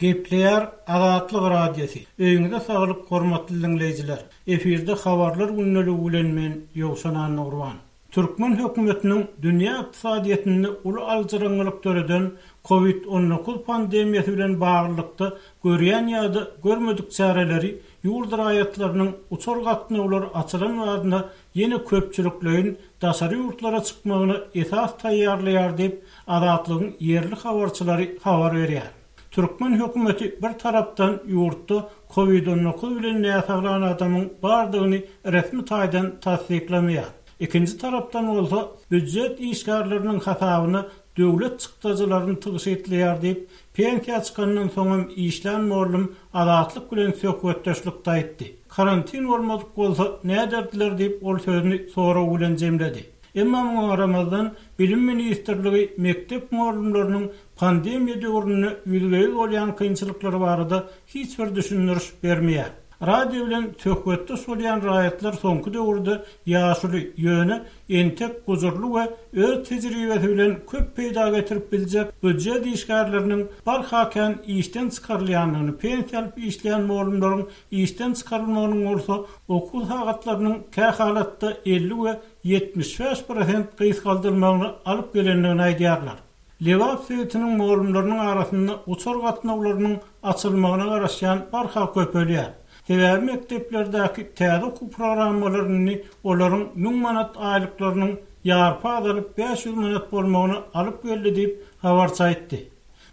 Gepleýär Azatlyk Radiosy. Öýüňize saglyk hormatly diňleýjiler. Efirde habarlar gündeligi bilen men Ýowşan Annagurban. Türkmen hökümetiniň dünýä ykdysadyýetinde uly aljyraňňylyk döreden Covid 19 pandemiýasy bilen baglylykda görýän ýa-da görmedik çäreleri ýurt raýatlarynyň uçar gatnawlary açylan badyna ýene köpçülikleýin daşary ýurtlara çykmagyna esas taýýarlaýar diýip, Azatlygyň ýerli habarçylary habar berýär. Türkmen hökümeti bir tarapdan ýurtda Covid 19 bilen näsaglan adamyň bardygyny resmi taýdan tassyklamaýar. Ikinji tarapdan bolsa, býujet işgärleriniň hasabyna döwlet çykdajylaryny tygşytlaýar diýip, pensiýa çykandan soňam işlän mollum Azatlyk bilen söhbetdeşlikde aýtdy. Karantin bolmadyk bolsa näderdiler diýip, ol sözüni sorag bilen jemledi. Emma muňa garamazdan, Bilim ministrligi mekdep mugallymlarynyň pandemiýa döwründe ýüzbe-ýüz bolýan kynçylyklary barada hiç bir düşündiriş bermeýär. Radio bilen söhbetdeş bolýan raýatlar soňky döwürde ýaşuly, ýöne entek gujurly we öz tejribesi bilen köp peýda getirip biljek býujet işgärleriniň barha kän işden çykarylýandygyny, pensiýa alyp işleýän mugallymlaryň işden çykarylmagynyň bolsa okuw sagatlarynyň kähalatda 50 we 75 prosent gysgaldylmagyna alyp gelendigini aýdýarlar. Lebap sebitiniň mugallymlarynyň arasynda uçar gatnawlarynyň açylmagyna garaşýan barha köpelýär. Sebäbi mekdeplerdäki täze okuw programmalary indi olaryň 1000 manat aýlyklarynyň ýarpy azalyp 500 manat bolmagyna alyp geldi diýip, habarçy aýtdy.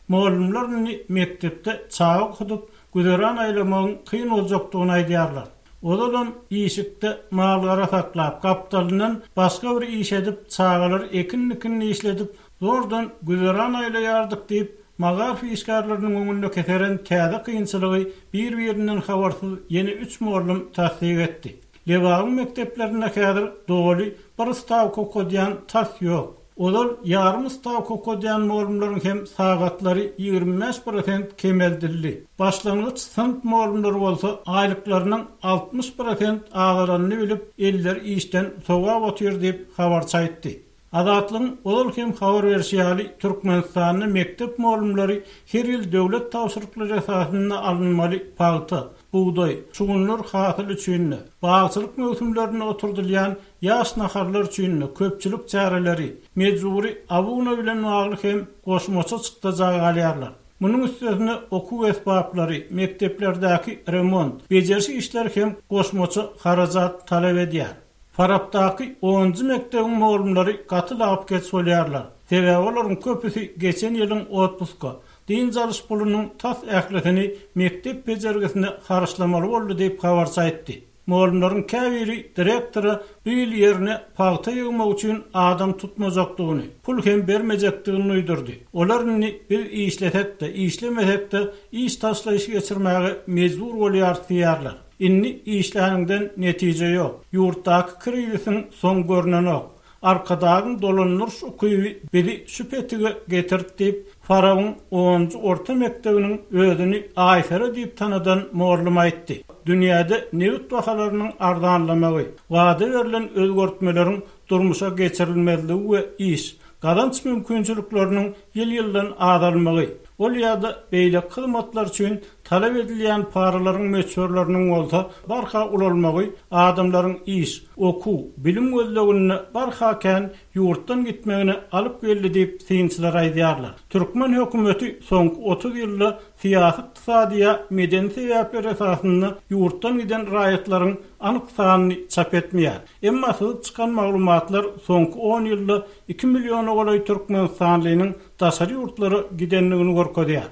Mugallymlar indi mekdepde çaga okudyp, güzeran aýlamagyň kyn boljakdygyny aýdýarlar. Ozalam işikde mal-gara saklap, gapdalyndan başga bir iş edip, çagalary ekin-dikinli işledip, zordan güzeran aýlaýardyk diýip, magaryf işgärleriniň öňünde keseren täze kynçylygy bir-birinden habarsyz ýene üç mugallym tassyk etdi. Lebabyň mekdeplerinde häzir doly bir stawka okadýan tas ýok. Ozal ýarym stawka okadýan mugallymlaryň hem sagatlary 25 prosent kemeldildi. Başlangyç synp mugallymlary bolsa aýlyklarynyň 60 prosent azalanyny bilip, elleri işden sowap otyr diýip, habarçy aýtdy. Azatlygyň ozal hem habar berşi ýaly, Türkmenistanda mekdep mugallymlary her ýyl döwlet tabşyryklary esasynda alynmaly pagta, bugdaý, şugundyr hasyly üçin-de, bagçylyk möwsümlerinde oturdylýan Ýaş naharlar üçin köpçülik çäreleri, mejbury abuna bilen bagly hem goşmaça çykdaja galýarlar. Munuň üstesine okuw esbaplary, mekdeplerdäki remont, bejeriş işleri hem goşmaça harajat talap edýär. Farapdaky onunjy mekdebiň mugallymlary gaty lapykeç bolýarlar. Sebäbi olaryň köpüsi geçen ýylyň otpuska, dynç alyş pulunyň tas ählisini mekdep bejergisine harçlamaly boldy diýip habarçy aýtdy. Mugallymlaryň käbiri direktora bu ýyl ýerine pagta ýygmak üçin adam tutmajakdygyny, pul hem bermejekdigini duýdurdy. Olar indi biz işlesek-de, işlemesek-de iş taşlaýyş geçirmäge mejbur bolýarys diýýärler. Indi işläniňden netije ýok. Ýurtdaky krizisiň soňy görnenok. Arkadagyň dolandyryş ukyby bizi şu petige getirdi diýip, Farabyň onunjy orta mekdebiniň özüni Aýsere diýip tanadan mugallym aýtdy. Dünýäde nebit bahalarynyň arzanlamagy, wada berlen özgertmeleriň durmuşa geçirilmezligi we iş, gazanç mümkinçilikleriniň ýyl-ýyldan azalmagy, ol ýa-da beýleki hyzmatlar üçin talap edilýän paralaryň möçberleriniň bolsa barha ulalmagy adamlaryň iş, okuw, bilim gözleginde barha kän ýurtdan gitmegine alyp geldi diýip, synçylar aýdýarlar. Türkmen hökümeti soňky 30 ýylda syýasy-ykdysady ýa medeni sebäpler esasynda ýurtdan giden raýatlaryň anyk sanyny çap etmeýär. Emma syzyp çykan maglumatlar soňky on ýylda iki milliona golaý türkmenistanlynyň daşary ýurtlara gidendigini görkezýär.